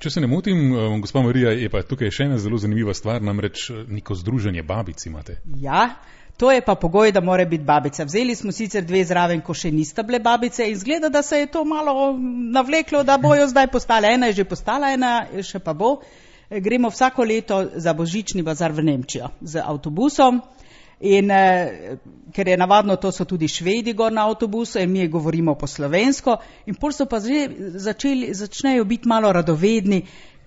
Če se ne motim, gospa Marija, je pa tukaj še ena zelo zanimiva stvar, namreč neko združenje babic imate. Ja, to je pa pogoj, da mora biti babica. Vzeli smo sicer 2 zraven, ko še nista bile babice in zgleda, da se je to malo navleklo, da bojo zdaj postale. Ena je že postala, ena še pa bo. Gremo vsako leto za božični bazar v Nemčijo z avtobusom. In ker je navadno, to so tudi Švedi gor na avtobusu in mi govorimo po slovensko in pol so pa začnejo biti malo radovedni,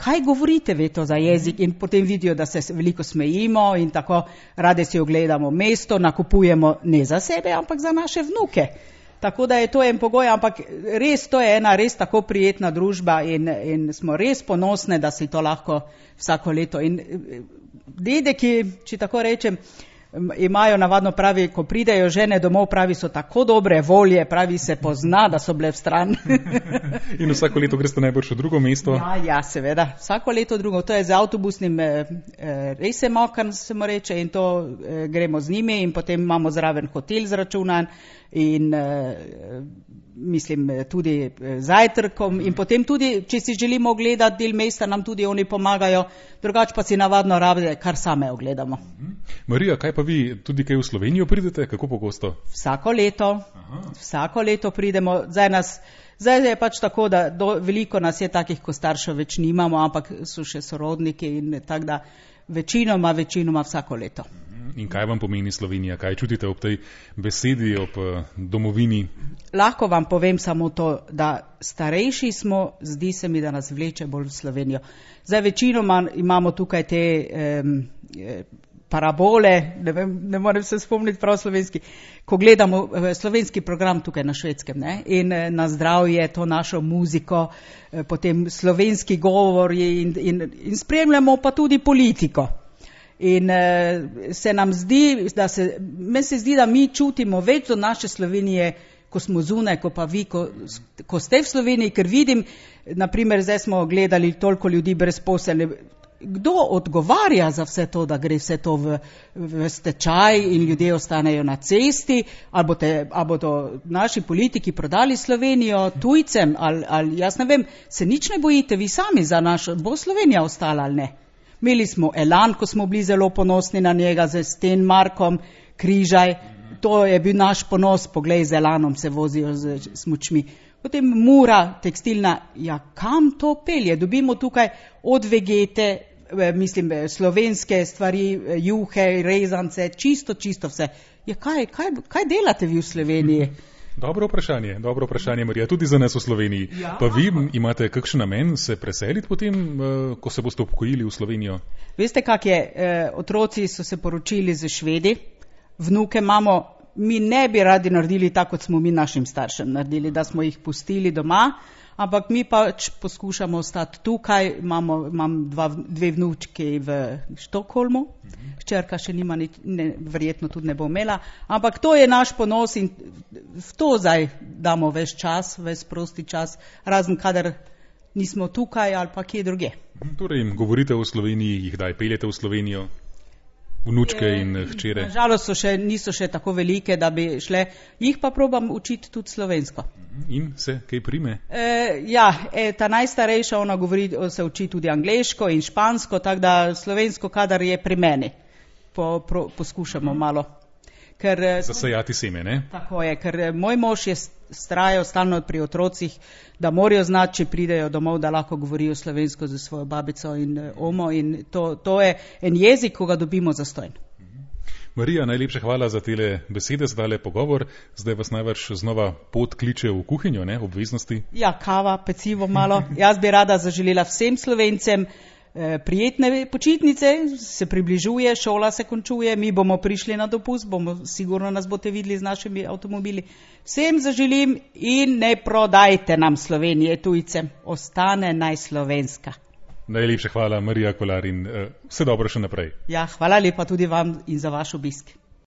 kaj govorite ve to za jezik, in potem vidijo, da se veliko smejimo in tako rade si ogledamo mesto, nakupujemo ne za sebe, ampak za naše vnuke. Tako da je to en pogoj, ampak res to je ena res tako prijetna družba in smo res ponosne, da si to lahko vsako leto. In dedeki, če tako rečem, imajo navadno, pravi, ko pridejo žene domov, pravi, so tako dobre volje, pravi, se pozna, da so bile v stran. In vsako leto greste najbrž v drugo mesto? Ja, seveda, vsako leto drugo. To je z avtobusnim rejsem, kar se mu reče, in to gremo z njimi in potem imamo zraven hotel zračunan in mislim tudi zajtrkom in potem tudi, če si želimo ogledati del mesta, nam tudi oni pomagajo, drugače pa si navadno rabite, kar same ogledamo. Marija, kaj pa vi, tudi kaj v Slovenijo pridete, kako pogosto? Vsako leto pridemo, zdaj je pač tako, da veliko nas je takih, ko staršev več nimamo, ampak so še sorodniki in tako da večinoma vsako leto. In kaj vam pomeni Slovenija? Kaj čutite ob tej besedi, ob domovini? Lahko vam povem samo to, da starejši smo, zdi se mi, da nas vleče bolj v Slovenijo. Zdaj večinoma imamo tukaj te parabole, ne morem se spomniti prav slovenski, ko gledamo slovenski program tukaj na Švedskem, ne? In na zdravje, to našo muziko, potem slovenski govor in spremljamo pa tudi politiko. In se nam zdi, meni se zdi, da mi čutimo več do naše Slovenije, ko smo zunaj, ko pa vi, ko ste v Sloveniji, ker vidim, naprimer, zdaj smo gledali toliko ljudi brezposelne, kdo odgovarja za vse to, da gre vse to v stečaj in ljudje ostanejo na cesti, ali bodo naši politiki prodali Slovenijo tujcem, ali jaz ne vem, se nič ne bojite, vi sami za našo, bo Slovenija ostala ali ne? Imeli smo Elan, ko smo bili zelo ponosni na njega, z Stenmarkom, Križaj, to je bil naš ponos, poglej, z Elanom se vozijo z smučmi. Potem Mura, tekstilna, ja, kam to pelje? Dobimo tukaj od Vegete, mislim, slovenske stvari, juhe, rezance, čisto vse. Ja, kaj delate vi v Sloveniji? Dobro vprašanje, Marija, tudi za nas v Sloveniji. Ja. Pa vi imate kakšen namen se preseliti potem, ko se boste upokojili v Slovenijo? Veste, kak je, otroci so se poročili z Švedi, vnuke imamo, mi ne bi radi naredili tako, kot smo mi našim staršem naredili, da smo jih pustili doma, ampak mi pač poskušamo ostati tukaj, imam 2 vnučki v Štokholmu, hčerka še nima, verjetno tudi ne bo imela, ampak to je naš ponos in v to zdaj damo ves čas, ves prosti čas, razen kadar nismo tukaj ali pa kje druge. Torej, govorite o Sloveniji, jih daj peljete v Slovenijo? Vnučke in hčere? Nažalost niso še tako velike, da bi šle, jih pa probam učiti tudi slovensko. In se kaj prime? Ta najstarejša, ona se uči tudi angleško in špansko, tako da slovensko, kadar je pri meni, poskušamo malo. Zasejati seme, ne? Tako je, ker moj mož je vztrajal stalno pri otrocih, da morajo znati, če pridejo domov, da lahko govorijo slovensko z svojo babico in omo, in to je en jezik, ko ga dobimo zastojn. Marija, najlepša hvala za tele besede, za tale pogovor. Zdaj vas največ znova pot kliče v kuhinjo, ne, obveznosti? Ja, kava, pecivo malo. Jaz bi rada zaželela vsem Slovencem prijetne počitnice, se približuje, šola se končuje, mi bomo prišli na dopust, sigurno nas boste videli z našimi avtomobili. Vsem zaželim in ne prodajte nam Slovenije tujcem, ostane naj slovenska. Najlepša hvala, Marija Kolar, in vse dobro še naprej. Ja, hvala lepa tudi vam in za vaš obisk.